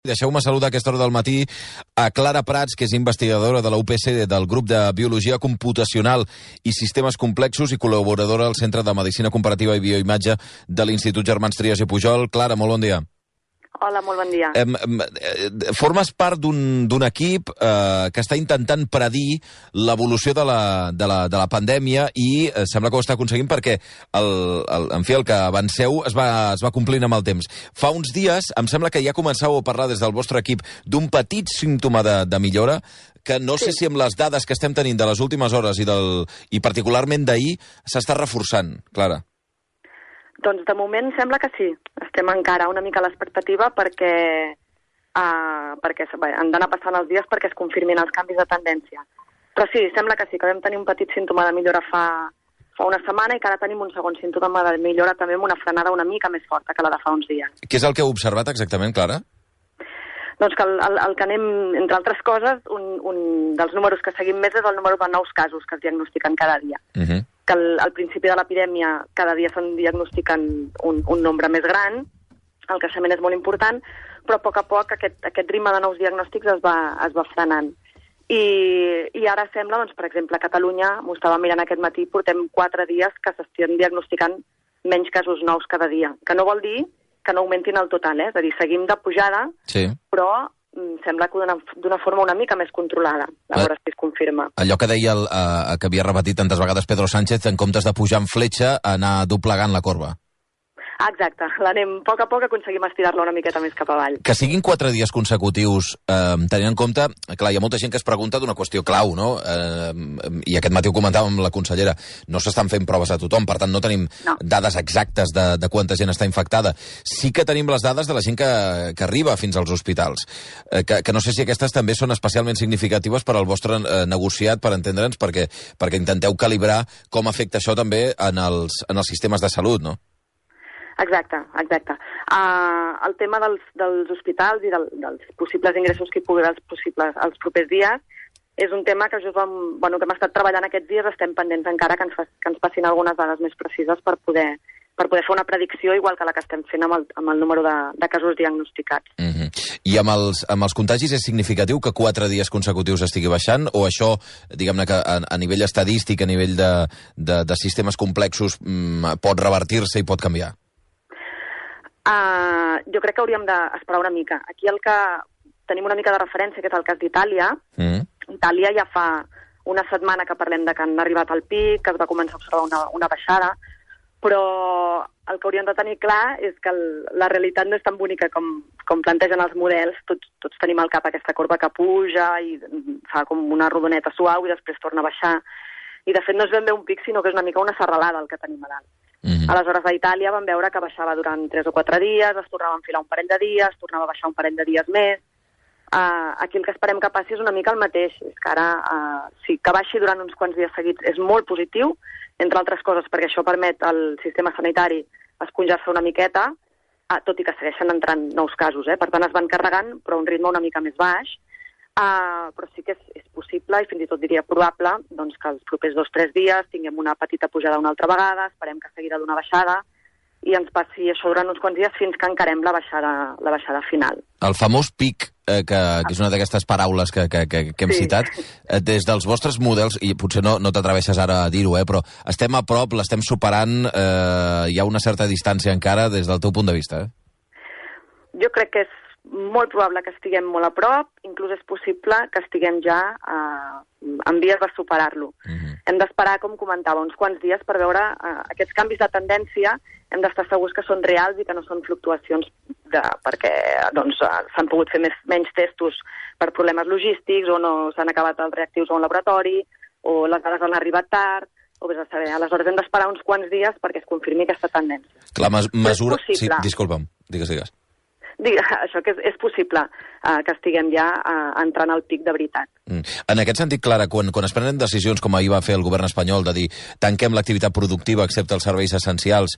Deixeu-me saludar a aquesta hora del matí a Clara Prats, que és investigadora de la UPC del grup de Biologia Computacional i Sistemes Complexos i col·laboradora al Centre de Medicina Comparativa i Bioimatge de l'Institut Germans Trias i Pujol. Clara, molt bon dia. Hola, molt bon dia. Formes part d'un equip que està intentant predir l'evolució de la pandèmia i sembla que ho està aconseguint perquè el que avanceu es va complint amb el temps. Fa uns dies em sembla que ja començàveu a parlar des del vostre equip d'un petit símptoma de millora que no sé si amb les dades que estem tenint de les últimes hores i particularment d'ahir s'està reforçant, Clara. Doncs de moment sembla que sí. Estem encara una mica a l'expectativa perquè han d'anar passant els dies perquè es confirmin els canvis de tendència. Però sí, sembla que sí, que vam tenir un petit símptoma de millora fa una setmana i que ara tenim un segon símptoma de millora també amb una frenada una mica més forta que la de fa uns dies. Què és el que heu observat exactament, Clara? Doncs que el que anem, entre altres coses, un dels números que seguim més és el número de nous casos que es diagnostiquen cada dia. Que al principi de l'epidèmia cada dia se'n diagnostiquen un nombre més gran, el creixement és molt important, però a poc aquest ritme de nous diagnòstics es va frenant. I ara sembla, doncs, per exemple, a Catalunya, m'ho estava mirant aquest matí, portem 4 dies que s'estan diagnosticant menys casos nous cada dia, que no vol dir que no augmentin el total, és a dir, seguim de pujada, sí. Però sembla que d'una forma una mica més controlada, a veure si es confirma. Allò que deia, que havia repetit tantes vegades Pedro Sánchez, en comptes de pujar en fletxa, anar doblegant la corba. Exacte, l'anem a poc aconseguim estirar-la una miqueta més cap avall. Que siguin 4 dies consecutius, tenint en compte, clar, hi ha molta gent que es pregunta d'una qüestió clau, no? I aquest matí ho comentàvem amb la consellera, no s'estan fent proves a tothom, per tant no tenim dades exactes de quanta gent està infectada. Sí que tenim les dades de la gent que arriba fins als hospitals, que no sé si aquestes també són especialment significatives per al vostre negociat, per entendre'ns, perquè intenteu calibrar com afecta això també en els sistemes de salut, no? Exacte. El tema dels hospitals i dels possibles ingressos que hi pugui haver els propers dies és un tema que que hem estat treballant aquests dies, estem pendents encara que ens passin algunes dades més precises per poder fer una predicció igual que la que estem fent amb el número de casos diagnosticats. I amb els contagis és significatiu que 4 dies consecutius estigui baixant o això, diguem-ne que a nivell estadístic, a nivell de sistemes complexos pot revertir-se i pot canviar? Jo crec que hauríem d'esperar una mica. Aquí el que tenim una mica de referència, que és el cas d'Itàlia. Itàlia ja fa una setmana que parlem de que han arribat al pic, que es va començar a observar una baixada, però el que hauríem de tenir clar és que la realitat no és tan bonica com plantegen els models. Tots tenim al cap aquesta corba que puja i fa com una rodoneta suau i després torna a baixar. I de fet no és ben bé un pic, sinó que és una mica una serralada el que tenim a dalt. Aleshores, a Itàlia vam veure que baixava durant 3 o 4 dies, es tornava a enfilar un parell de dies, tornava a baixar un parell de dies més. Aquí el que esperem que passi és una mica el mateix. És que ara, sí, que baixi durant uns quants dies seguits és molt positiu, entre altres coses, perquè això permet al sistema sanitari esponjar-se una miqueta, tot i que segueixen entrant nous casos. Per tant, es van carregant, però a un ritme una mica més baix. Però sí que és possible i fins i tot diria probable doncs, que els propers 2 o 3 dies tinguem una petita pujada una altra vegada, esperem que seguirà d'una baixada i ens passi això durant uns quants dies fins que encarem la baixada final. El famós pic, que és una d'aquestes paraules que hem citat, des dels vostres models, i potser no t'atreveixes ara a dir-ho, però estem a prop, l'estem superant, hi ha una certa distància encara des del teu punt de vista? Jo crec que és molt probable que estiguem molt a prop, inclús és possible que estiguem ja en vies de superar-lo. Hem d'esperar, com comentava, uns quants dies per veure aquests canvis de tendència, hem d'estar segurs que són reals i que no són fluctuacions perquè s'han pogut fer menys testos per problemes logístics o no s'han acabat els reactius a un laboratori o les dades han arribat tard, o vés a saber. Aleshores hem d'esperar uns quants dies perquè es confirmi aquesta tendència. La mesura... Sí, disculpa'm, digues. Això que és possible que estiguem ja entrant al pic de veritat. En aquest sentit, Clara, quan es prenen decisions com ahir va fer el govern espanyol de dir tanquem l'activitat productiva excepte els serveis essencials,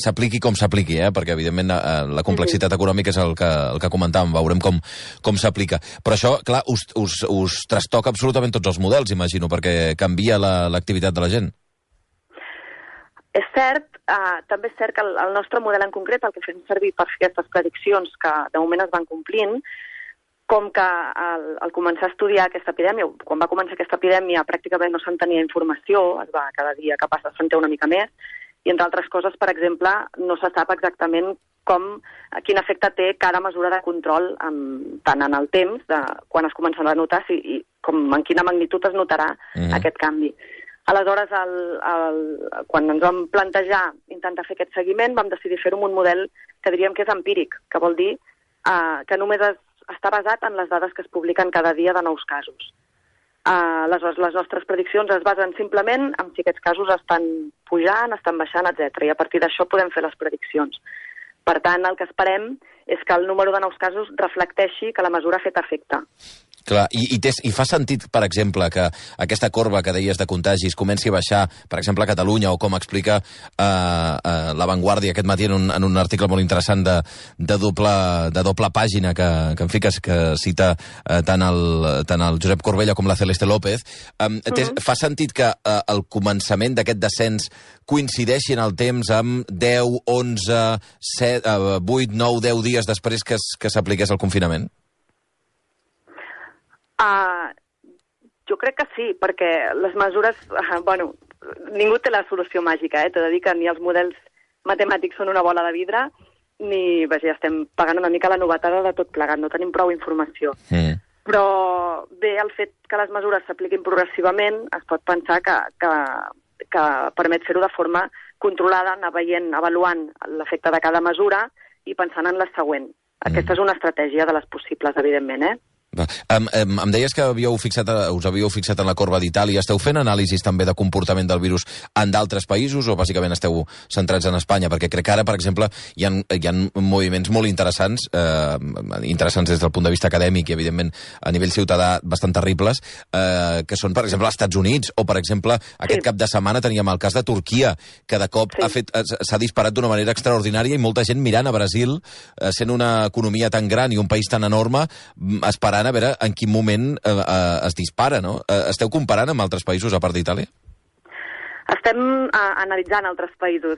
s'apliqui com s'apliqui, perquè evidentment la complexitat econòmica és el que comentàvem, veurem com s'aplica. Però això, clar, us trastoca absolutament tots els models, imagino, perquè canvia l'activitat de la gent. És cert, també és cert que el nostre model en concret, el que fem servir per fer aquestes prediccions que de moment es van complint, com que al començar a estudiar aquesta epidèmia, quan va començar aquesta epidèmia pràcticament no se'n tenia informació, cada dia que passa se'n té una mica més, i entre altres coses, per exemple, no se sap exactament quin efecte té cada mesura de control tant en el temps, quan es començarà a notar, i com en quina magnitud es notarà aquest canvi. Aleshores, quan ens vam plantejar intentar fer aquest seguiment, vam decidir fer-ho amb un model que diríem que és empíric, que vol dir que només està basat en les dades que es publiquen cada dia de nous casos. Aleshores, les nostres prediccions es basen simplement en si aquests casos estan pujant, estan baixant, etc. I a partir d'això podem fer les prediccions. Per tant, el que esperem és que el número de nous casos reflecteixi que la mesura ha fet efecte. Clar, i fa sentit, per exemple, que aquesta corba que deies de contagis comenci a baixar, per exemple, a Catalunya, o com explica La Vanguardia aquest matí en un article molt interessant de doble pàgina que cita tant el Josep Corbella com la Celeste López. Fa sentit que el començament d'aquest descens coincideixi en el temps amb 10, 11, 7, 8, 9, 10 dies després que s'apliqués el confinament? Jo crec que sí, perquè les mesures... ningú té la solució màgica, T'he de dir que ni els models matemàtics són una bola de vidre, ni estem pagant una mica la novetada de tot plegat, no tenim prou informació. Però bé, el fet que les mesures s'apliquin progressivament es pot pensar que permet fer-ho de forma controlada, anar veient, avaluant l'efecte de cada mesura i pensant en la següent. Aquesta és una estratègia de les possibles, evidentment, Em deies que us havíeu fixat en la corba d'Itàlia. Esteu fent anàlisis també de comportament del virus en d'altres països o bàsicament esteu centrats en Espanya? Perquè crec que ara, per exemple, hi ha moviments molt interessants des del punt de vista acadèmic i, evidentment, a nivell ciutadà bastant terribles, que són, per exemple, als Estats Units o, per exemple, aquest cap de setmana teníem el cas de Turquia, que de cop s'ha disparat d'una manera extraordinària i molta gent mirant a Brasil, sent una economia tan gran i un país tan enorme, esperant a veure en quin moment es dispara, no? Esteu comparant amb altres països a part d'Itàlia? Estem analitzant altres països.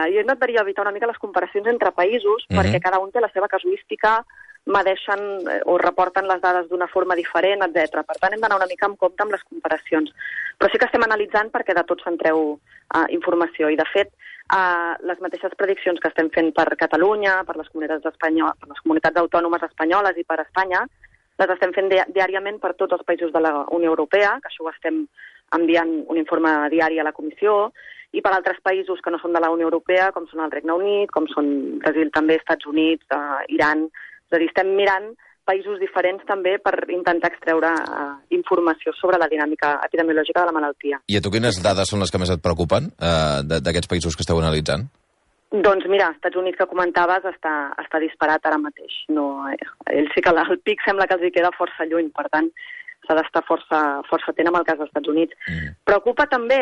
Jo intentaria evitar una mica les comparacions entre països perquè cada un té la seva casuística, medeixen o reporten les dades d'una forma diferent, etc. Per tant, hem d'anar una mica amb compte amb les comparacions. Però sí que estem analitzant perquè de tot se'n treu informació. I, de fet, les mateixes prediccions que estem fent per Catalunya, per les comunitats autònomes espanyoles i per Espanya, les estem fent diàriament per tots els països de la Unió Europea, que això ho estem enviant un informe diari a la Comissió, i per altres països que no són de la Unió Europea, com són el Regne Unit, com són Brasil també, Estats Units, Iran. És a dir, estem mirant països diferents també per intentar extreure informació sobre la dinàmica epidemiològica de la malaltia. I a tu quines dades són les que més et preocupen d'aquests països que esteu analitzant? Doncs mira, als Estats Units que comentaves està disparat ara mateix. Ells sí que el pic sembla que els hi queda força lluny, per tant s'ha d'estar força atent amb el cas dels Estats Units. Preocupa també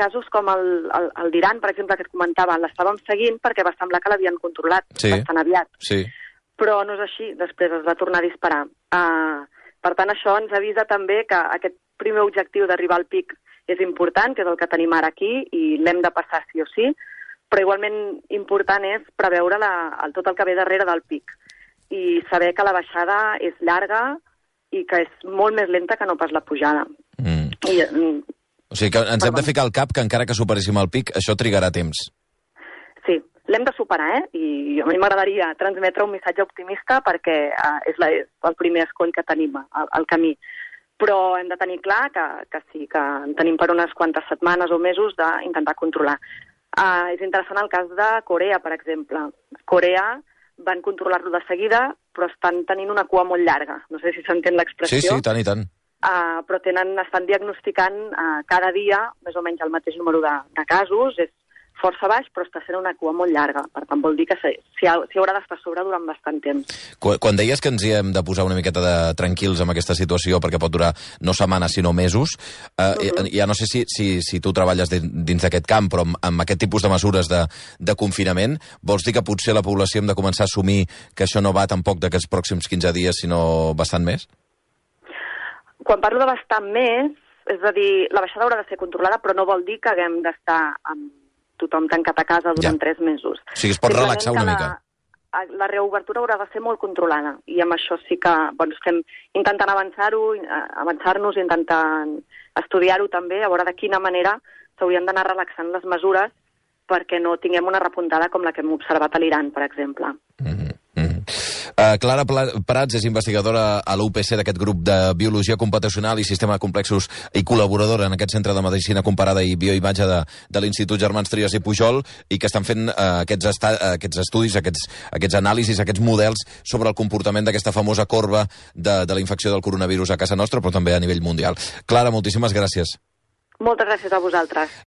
casos com el d'Iran, per exemple, que et comentava, l'estàvem seguint perquè va semblar que l'havien controlat bastant aviat. Sí. Però no és així, després es va tornar a disparar. Per tant, això ens avisa també que aquest primer objectiu d'arribar al pic és important, que és el que tenim ara aquí, i l'hem de passar sí o sí, però igualment important és preveure tot el que ve darrere del pic i saber que la baixada és llarga i que és molt més lenta que no pas la pujada. O sigui que ens hem de ficar al cap que encara que superéssim el pic, això trigarà temps. Sí, l'hem de superar, I a mi m'agradaria transmetre un missatge optimista perquè és el primer escoll que tenim al camí. Però hem de tenir clar que sí, que en tenim per unes quantes setmanes o mesos d'intentar controlar. És interessant el cas de Corea, per exemple. Corea van controlar-lo de seguida, però estan tenint una cua molt llarga. No sé si s'entén l'expressió. Sí, tant i tant. Però estan diagnosticant cada dia més o menys el mateix número de casos. És força baix, però està sent una cua molt llarga. Per tant, vol dir que s'hi haurà d'estar a sobre durant bastant temps. Quan deies que ens hi hem de posar una miqueta tranquils amb aquesta situació, perquè pot durar no setmanes, sinó mesos, ja no sé si tu treballes dins d'aquest camp, però amb aquest tipus de mesures de confinament, vols dir que potser la població hem de començar a assumir que això no va tampoc d'aquests pròxims 15 dies, sinó bastant més? Quan parlo de bastant més, És a dir, la baixada haurà de ser controlada, però no vol dir que haguem d'estar amb tothom tancat a casa durant 3 mesos. O sigui, es pot relaxar una mica. La reobertura haurà de ser molt controlada, i amb això sí que estem intentant avançar-nos, intentant estudiar-ho també, a veure de quina manera s'haurien d'anar relaxant les mesures perquè no tinguem una repuntada com la que hem observat a l'Iran, per exemple. Clara Prats és investigadora a l'UPC d'aquest grup de Biologia Computacional i Sistema de Complexos i col·laboradora en aquest Centre de Medicina Comparada i Bioimatge de l'Institut Germans Trias i Pujol, i que estan fent aquests estudis, aquests anàlisis, aquests models sobre el comportament d'aquesta famosa corba de la infecció del coronavirus a casa nostra, però també a nivell mundial. Clara, moltíssimes gràcies. Moltes gràcies a vosaltres.